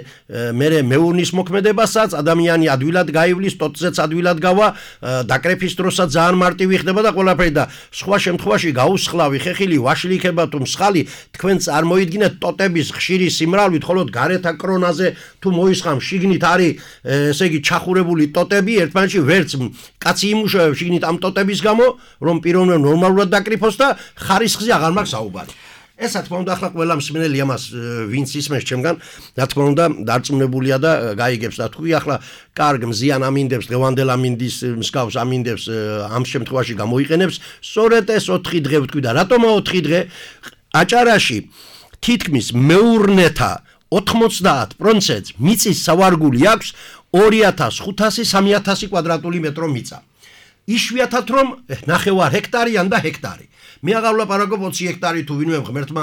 მერე მეურნის მოქმედებასაც ადამიანი ადვილად გაივლის ტოტზეც ადვილად გავა დაკრეფის დროსაც ძალიან მარტივი ხდება და ყველაფერი და სხვა შემთხვევაში გაუსხლავი ხეხილი ვაშლი იქნება თუ მსხალი თქვენ წარმოიდგინეთ ტოტების ხშირი სიმრავლით ხოლო გარეთ აკრონაზე თუ მოისხამ შიგნით არის ესე იგი ჩახურებული ტოტები ერთმანეთში ვერც კაცი იმუშავებს შიგნით ამ ტოტების გამო რომ პიროვნებმა ნორმალურად დაკრიფოს და ხარისხზე აღარ მაქვს საუბარი ეს რა თქმა უნდა ახლა ყველა მსმენელი ამას ვინც ისმენს ჩემგან რა თქმა უნდა დარწმუნებულია და გაიგებს და თქვი ახლა კარგ მზიან ამინდებს დღევანდელ ამინდის მსგავს ამინდებს ამ შემთხვევაში გამოიყენებს სწორედ ეს ოთხი დღე ვთქვი და რატომა ოთხი დღე აჭარაში თითქმის მეურნეთა ოთხმოცდაათ პროცენტს მიწის სავარგული აქვს ორი ათას ხუთასი სამი ათასი კვადრატული მეტრო მიწა იშვიათად რომ ნახევარ ჰექტარი ან და ჰექტარი მე აღარ ვლაპარაკობ ოცი ჰექტარი თუ ვინმე ღმერთმა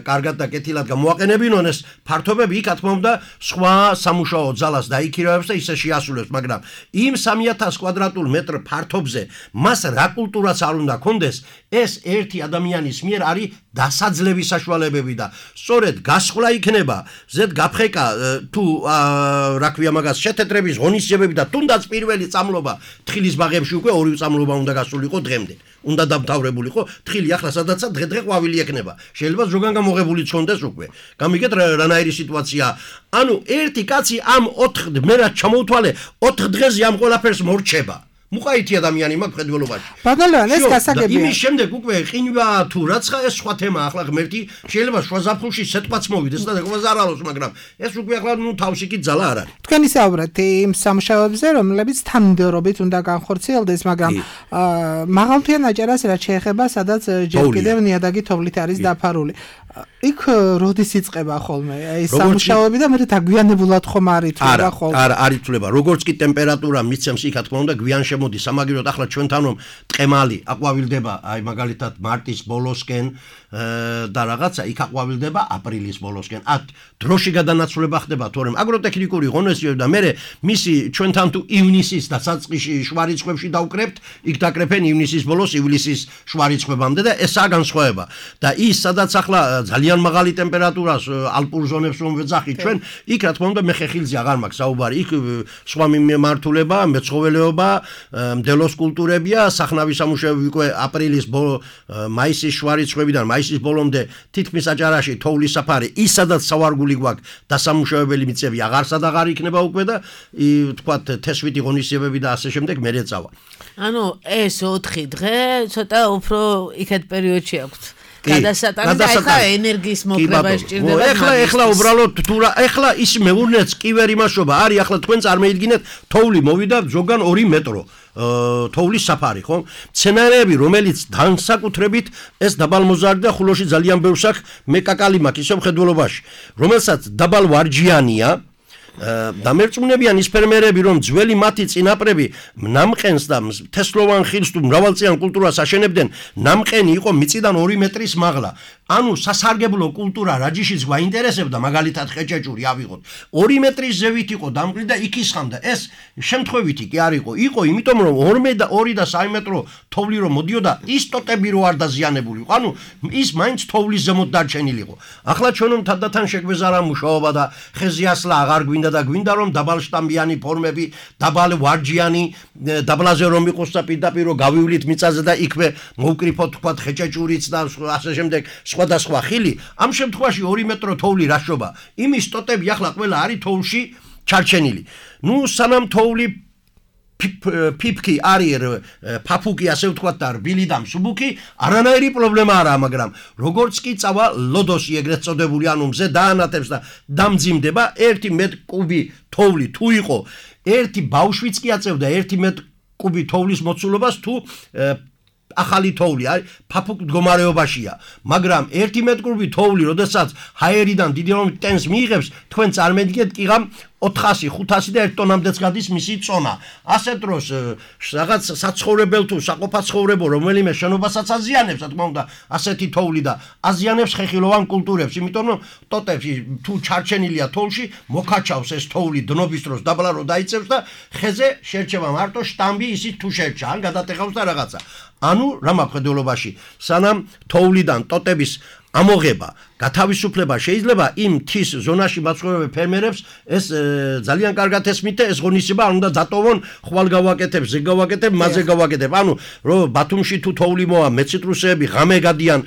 კარგად და კეთილად გამოაყენებინონ ეს ფართობები იქ რა თქმა უნდა სხვა სამუშაო ძალას დაიქირავებს და ისე შეასრულებს მაგრამ იმ სამი ათას კვადრატულ მეტრ ფართობზე მას რა კულტურაც არ უნდა კონდეს ეს ერთი ადამიანის მიერ არის დასაძლევის საშუალებები და სწორედ გასხლა იქნება ზედ გაფხეკა თუ რა ქვია მაგას შეთეთრების ღონისძიებები და თუნდაც პირველი წამლობა თხილის ბაღებში უკვე ორი წამლობა უნდა გასულიყო დღემდე უნდა დამთავრებულიყო თხილი ახლა სადაცა დღე-დღე ყვავილი ექნება შეიძლება ზოგან გამოღებული ჩონდეს უკვე გამიგეთ რანაირი სიტუაცია ანუ ერთი კაცი ამ ოთხ მე რა ჩამოვთვალე ოთხ დღეზე ამ ყველაფერს მორჩება მუყაითი ადამიანი მაქვს ხედველობაში. ბატონო, ეს გასაგებია. იმის შემდეგ უკვე ყინვა თუ რაცა ეს სხვა თემაა, ახლა ღმერთი შეიძლება შუა ზაფხულში სეტყვაც მოვიდეს და დაგვა ზარალოს, მაგრამ ეს უკვე ახლა ნუ თავში კი ძალა არ არის. თქვენ ისაუბრეთ იმ სამუშაოებზე, რომლებიც თანმიმდევრობით უნდა განხორციელდეს, მაგრამ მაღალმთიან აჭარას რაც შეეხება, სადაც ჯერ კიდევ ნიადაგი თოვლით არის დაფარული. იქ როდის იწყება ხოლმე ეს სამუშაოები და მე დაგვიანებულად ხომ არ ითვლება ხოლმე? არა, არ ითვლება. როგორც კი ტემპერატურა მიცემს იქ, რა თქმა უნდა, გვიან შემოდის. სამაგიეროდ ახლა ჩვენთან რომ ტყემალი აყვავილდება, აი მაგალითად მარტის ბოლოსკენ და რაღაცა იქ აყვავილდება აპრილის ბოლოსკენ. ათ დროში გადანაცვლება ხდება, თორემ აგროტექნიკური ღონისძიებები და მე მისი ჩვენთან თუ ივნისის და საწყისში შვარიცხვებში დავკრებთ, იქ დაკრეფენ ივნისის ბოლოს, ივლისის შვარიცხვებამდე და ესაა განსხვავება. და ის სადაც ახლა ძალიან მაღალი ტემპერატურას ალპურ ზონებს რომ ვეძახით ჩვენ, იქ რა თქმა უნდა მე ხეხილზე აღარ მაქვს საუბარი. იქ სხვა მიმართულება, მეცხოველეობა, მდელოს კულტურებია, სახნავი სამუშაოები უკვე აპრილის მაისის შვარიცხვებიდან მაისის ბოლომდე თითქმის აჭარაში თოვლის საფარი, ის სადაც სავარგული გვაქვს დასამუშავებელი მიწები აღარსად აღარ იქნება უკვე და თქვათ თესვითი ღონისძიებები და ასე შემდეგ მერე წავა. ანუ ეს ოთხი დღე ცოტა უფრო იქეთ პერიოდში აქვს. გადასატანი და ეხლა ენერგიის მოკრება სჭირდება. ეხლა ეხლა უბრალოდ თუ რა ეხლა ის მეურნეც კი ვერ იმაშობა. არის ახლა თქვენ წარმოიდგინეთ თოვლი მოვიდა ზოგან ორი მეტრო. თოვლის საფარი, ხო? სცენარები, რომელიც განსაკუთრებით ეს დაბალმოზარდი და ხულოში ძალიან ბევრს აქვს, მე კაკალი მაქვს ისევ ხედველობაში, რომელსაც დაბალ ვარჯიანია დამერწმუნებიან ის ფერმერები, რომ ძველი მათი წინაპრები ნამყენს და თესლოვან ხილს თუ მრავალწლიან კულტურას აშენებდნენ, ნამყენი იყო მიწიდან ორი მეტრის მაღლა. ანუ სასარგებლო კულტურა რაჯიშიც გვაინტერესებდა, მაგალითად ხეჭეჭური ავიღოთ. ორი მეტრის ზევით იყო დამყრი და იქ ისხამდა. ეს შემთხვევითი კი არ იყო. იყო, იმიტომ რომ ორი და სამი მეტრო თოვლი რომ მოდიოდა, ის ტოტები რო არ დაზიანებული იყო. ანუ ის მაინც თოვლის ზემოთ დარჩენილი იყო. ახლა ჩვენ რომ თანდათან შეგვეზარა მუშაობა და ხეზე ასლა აღარ გვინდა და გვინდა რომ დაბალშტამბიანი ფორმები, დაბალ ვარჯიანი, დაბლაზე რომ იყოს და პირდაპირ რომ გავივლით მიწაზე და იქვე მოვკრიფოთ თქვა ხეჭეჭურიც და ასე შემდეგ სხვადასხვა ხილი, ამ შემთხვევაში ორი მეტრო თოვლი რაშობა. იმის ტოტები ახლა ყველა არის თოვლში ჩარჩენილი. ნუ სანამ თოვლი ფიფკი არის ფაფუკი ასე ვთქვათ და რბილი და მსუბუქი, არანაირი პრობლემა არაა, მაგრამ როგორც კი წავა ლოდოსი ეგრეთ წოდებული, ანუ მზე დაანათებს და დამძიმდება, ერთი მეტ კუბი თოვლი თუ იყო, ერთი ბავშვიც კი აწევდა ერთი მეტ კუბი თოვლის მოცულობას თუ ახალი თოვლი არის ფაფუկ მდგომარეობაშია, მაგრამ ერთი მეტრკუბი თოვლი, როდესაც ჰაერიდან დიდი რომ ტენს მიიღებს, თქვენ წარმოიდგინეთ კიღამ ოთხასი, ხუთასი და ერთ ტონამდეც გადის მისი წონა. ასეთ დროს რაღაც საცხოვრებელ თუ საყოფაცხოვრებო რომელიმე შენობასაც აზიანებს, რა თქმა უნდა, ასეთი თოვლი და აზიანებს ხეხილოვან კულტურებს, იმიტომ რომ ტოტებში თუ ჩარჩენილია თოვლში, მოკაჩავს ეს თოვლი დნობის დროს დაბლა რო დაიწევს და ხეზე შერჩება მარტო შტამბი, ისიც თუ შერჩა, ან გადატეხავს და რაღაცა. ანუ რა მხედველობაში, სანამ თოვლიდან ტოტების ამოღება, გათავისუფლება შეიძლება იმ მთის ზონაში მაცხოვრებელ ფერმერებს ეს ძალიან კარგად ესმით და ეს ღონისება არ უნდა დატოვონ, ხვალ გავაკეთებ, ზე გავაკეთებ, მასზე გავაკეთებ. ანუ რომ ბათუმში თუ თოვლი მოა, მეციტრუსეები ღამე გადიან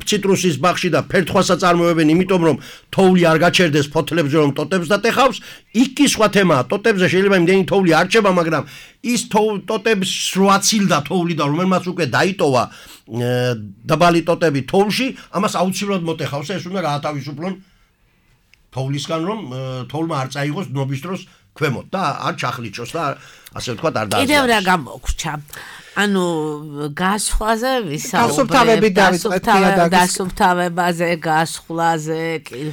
ციტრუსის ბაღში და ფერთხვას აწარმოებენ, იმიტომ რომ თოვლი არ გაჩერდეს ფოთლებზე რომ ტოტებს დატეხავს, იქ კი სხვა თემაა. ტოტებზე შეიძლება იმდენი თოვლი არ რჩება, მაგრამ ის ტოტებს რო აცილდა თოვლი და რომელმაც უკვე დაიტოვა დაბალი ტოტები თოვლში, ამას აუცილებლად მოტეხავს, ეს უნდა გაათავისუფლონ თოვლისგან, რომ თოვლმა არ წაიღოს დნობის დროს ქვემოთ და არ ჩახლიჩოს და ასე ვთქვათ არ დააზიანოს. კიდევ რა გამოგრჩა? ანუ გასხვაზე გასუფთავები დავიწყეთ დასუფთავებაზე, გასხვლაზე,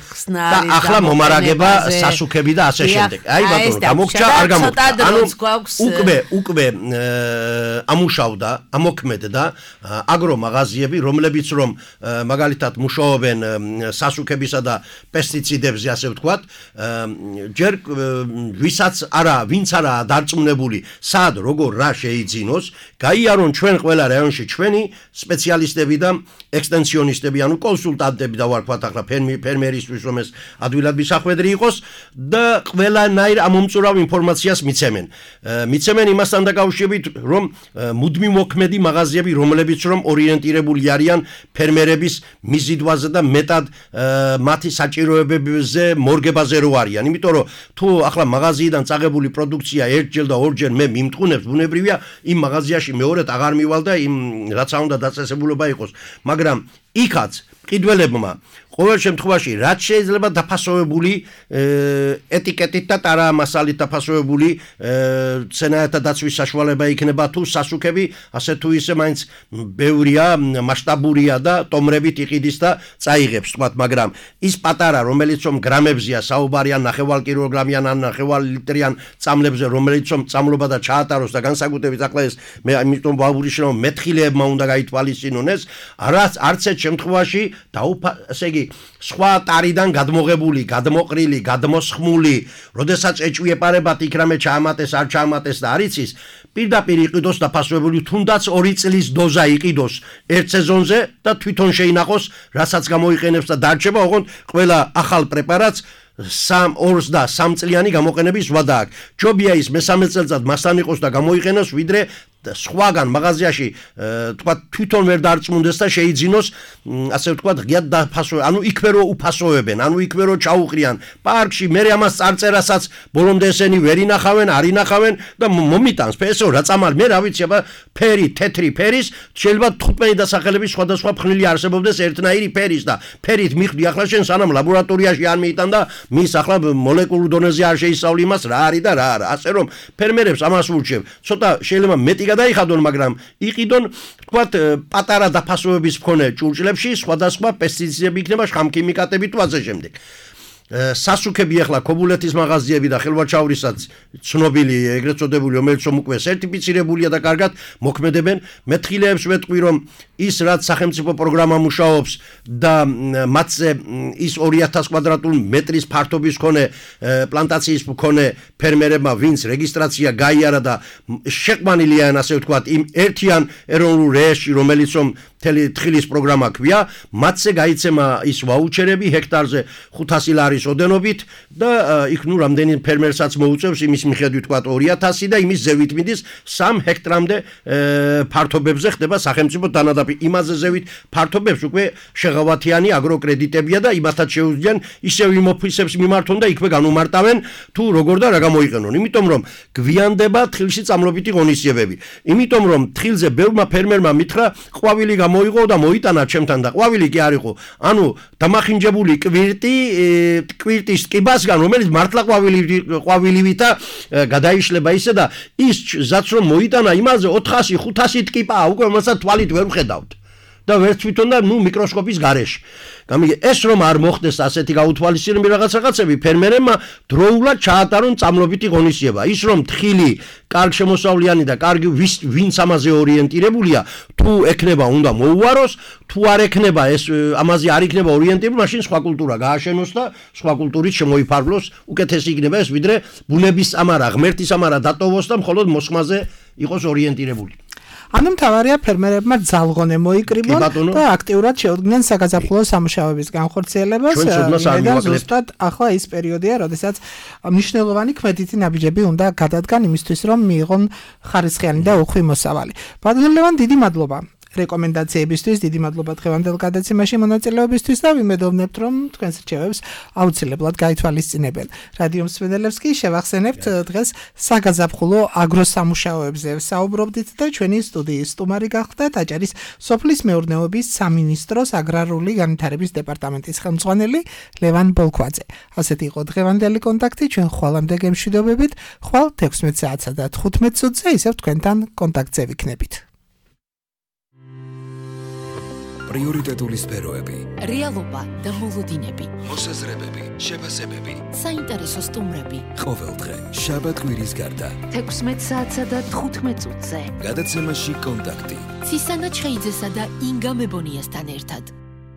ხსნარი და ახლა მომარაგება სასუქები და ასე შემდეგ. აი ბატონო, გამოგრჩა, არ გამოგრჩა. ანუ უკვე უკვე ამუშავდა, ამოქმედდა აგრომაღაზიები, რომლებიც რომ მაგალითად მუშაობენ სასუქებისა და პესტიციდებზე, ასე ვთქვათ, ჯერ ვისაც არა, ვინც არაა დარწმუნებული, სად როგორ რა შეიძინოს, გაიარონ ჩვენ ყველა რაიონში ჩვენი სპეციალისტები და ექსტენსიონისტები, ანუ კონსულტანტები და ვარქვათ ახლა ფერმერისთვის, რომ ეს ადვილად მისახვედრი იყოს და ყველანაირ ამომწურავ ინფორმაციას მიცემენ. მიცემენ იმასთან დაკავშირებით, რომ მუდმივ მოქმედი მაღაზიები, რომლებიც რომ ორიენტირებული არიან ფერმერების მიზიდვაზე და მეტად მათი საჭიროებებზე მორგებაზე რო არიან. იმიტომ რომ თუ ახლა მაღაზიიდან წაღებული პროდუქცია ერთჯერ და ორჯერ მე მიმტყუნებს, ბუნებრივია იმ მაღაზიაში მეორედ აღარ მივალ და იმ რაც უნდა დაწესებულება იყოს, მაგრამ იქაც მყიდველებმა ყოველ შემთხვევაში რაც შეიძლება დაფასოვებული ეტიკეტით და ტარამასალით დაფასოვებული ცენაერთა დაცვის საშუალება იქნება თუ სასუქები ასე თუ ისე მაინც ბევრია, მასშტაბურია და ტომრებით იყიდის და წაიღებს, თქვათ, მაგრამ ის პატარა, რომელიც რომ გრამებზია საუბარი, ან ნახევარ კილოგრამიან, ან ნახევარ ლიტრიან წამლებზე, რომელიც რომ წამლობა და ჩაატაროს და განსაკუთრებით ახლა ეს მე ამიტომ ვაუბრიშე რომ მეთხილებმა უნდა გაითვალისწინონ ეს, არც არც ერთ შემთხვევაში დაუფა, ესე იგი სხვა ტარიდან გადმოღებული, გადმოყრილი, გადმოსხმული, როდესაც ეჭვიეპარებათ იქ რამე ჩაამატეს, არ ჩაამატეს და არ იცის, პირდაპირ იყიდოს დაფასვებული, თუნდაც ორი წლის დოზა იყიდოს ერთ სეზონზე და თვითონ შეინახოს, რასაც გამოიყენებს და დარჩება, ოღონდ ყველა ახალ პრეპარატს სამ ორს და სამ წლიანი გამოყენების ვადა აქვს. ჯობია ის მესამე წელიწად მასთან იყოს და გამოიყენოს, ვიდრე სხვაგან მაღაზიაში თქვა თვითონ ვერ დარწმუნდეს და შეიძინოს, ასე ვთქვათ, ღიად დაფასო, ანუ იქვე რო უფასოებენ, ანუ იქვე რო ჩაუყრიან პარკში, მე ამას წარწერასაც ბოლომდე ესენი ვერ ინახავენ, არ ინახავენ და მომიტანს ფესო რა წამალ, მე რა ვიცი, აბა ფერი, თეთრი ფერის, შეიძლება თხუთმეტი დასახელების სხვადასხვა ფხნილი არსებობდეს ერთნაირი ფერის და ფერით მიხვდი ახლა შენ სანამ ლაბორატორიაში არ მიიტან და მის ახლა მოლეკულურ დონეზე არ შეისწავლი იმას რა არის და რა არა, ასე რომ ფერმერებს ამას ურჩევ, ცოტა შეიძლება მეტი გადაიხადონ, მაგრამ იყიდონ, თქვათ, პატარა დაფასოების მქონე ჭურჭლებში სხვადასხვა პესტიციდები იქნება, შხამქიმიკატები თუ ასე შემდეგ. სასუქები ახლა ქობულეთის მაღაზიები და ხელვაჩავრისაც ცნობილი, ეგრეთ წოდებული, რომელიც რომ უკვე სერტიფიცირებულია და კარგად მოქმედებენ, მეთხილეებს ვეთქვი, რომ ის რაც სახელმწიფო პროგრამა მუშაობს და მათზე ის ორი ათას კვადრატული მეტრის ფართობის მქონე პლანტაციის მქონე ფერმერებმა, ვინც რეგისტრაცია გაიარა და შეყვანილია, ასე ვთქვათ, იმ ერთიან ეროვნულ რეესტრში, რომელიც რომ მთელი თხილის პროგრამა ქვია, მათზე გაიცემა ის ვაუჩერები ჰექტარზე ხუთასი ლარის ოდენობით და იქ ნუ რამდენი ფერმერსაც მოუწევს იმის მიხედვით თქვა ორი ათასი და იმის ზევით მიდის სამ ჰექტრამდე ფართობებზე ხდება სახელმწიფო დანადაფნები. იმაზე ზევით ფართობებს უკვე შეღავათიანი აგროკრედიტებია და იმათაც შეუძლიან ისევ იმ ოფისებს მიმართონ და იქვე განუმარტავენ თუ როგორ და რა გამოიყენონ. იმიტომ რომ გვიანდება თხილში წამლობითი ღონისძიებები. იმიტომ რომ თხილზე ბევრმა ფერმერმა მითხრა ყვავილი გამოიღო და მოიტანა ჩემთან და ყვავილი კი არ იყო. ანუ დამახინჯებული კვირტი კვირტის ტკიბასგან რომელიც მართლა ყვავილი ყვავილივითა გადაიშლება ისე და ის ზაც რომ მოიტანა იმაზე ოთხასი ხუთასი ტკიპაა უკვე რომელსაც თვალით ვერ ვხედავთ და ვერ თვითონ და ნუ მიკროსკოპის გარეშე. გამიგე ეს რომ არ მოხდეს ასეთი გაუთვალისწინებები რაღაც რაღაცები ფერმერებმა დროულად ჩაატარონ წამლობითი ღონისძიება. ის რომ თხილი კარგ შემოსავლიანი და კარგი ვინც ამაზე ორიენტირებულია თუ ექნება უნდა მოუვაროს თუ არ ექნება ეს ამაზე არ იქნება ორიენტირებული მაშინ სხვა კულტურა გააშენოს და სხვა კულტურით შემოიფარგლოს უკეთესი იქნება ეს ვიდრე ბუნების ამარა ღმერთის ამარა დატოვოს და მხოლოდ მოსხმაზე იყოს ორიენტირებული. ანუ მთავარია ფერმერებმა ძალღონე მოიკრიბონ და აქტიურად შეუდგნენ საგაზაფხულო სამუშაოების განხორციელებას. და ზუსტად ახლა ის პერიოდია, როდესაც მნიშვნელოვანი ქმედითი ნაბიჯები უნდა გადადგან იმისთვის, რომ მიიღონ ხარისხიანი და უხვი მოსავალი. ბატონო ლევან, დიდი მადლობა რეკომენდაციებისთვის, დიდი მადლობა დღევანდელ გადაცემაში მონაწილეობისთვის და ვიმედოვნებთ, რომ თქვენს რჩევებს აუცილებლად გაითვალისწინებენ. რადიო მსმენელებს კი შევახსენებთ დღეს საგაზაფხულო აგროსამუშაოებზე საუბრობდით და ჩვენი სტუდიის სტუმარი გახლდათ აჭარის სოფლის მეურნეობის სამინისტროს აგრარული განვითარების დეპარტამენტის ხელმძღვანელი ლევან ბოლქვაძე. ასეთი იყო დღევანდელი კონტაქტი, ჩვენ ხვალამდე გემშვიდობებით, ხვალ თექვსმეტ საათსა და თხუთმეტ წუთზე ისევ თქვენთან კონტაქტზე ვიქნებით. პრიორიტეტული სფეროები, რეალობა და მოლოდინები, მოსაზრებები, შეფასებები, საინტერესო სტუმრები. ყოველდღე შაბათ კვირის გარდა თექვსმეტ საათსა და თხუთმეტ წუთზე. გადაცემაში კონტაქტი. ცისანა ჩხეიძესა და ინგა მებონიასთან ერთად.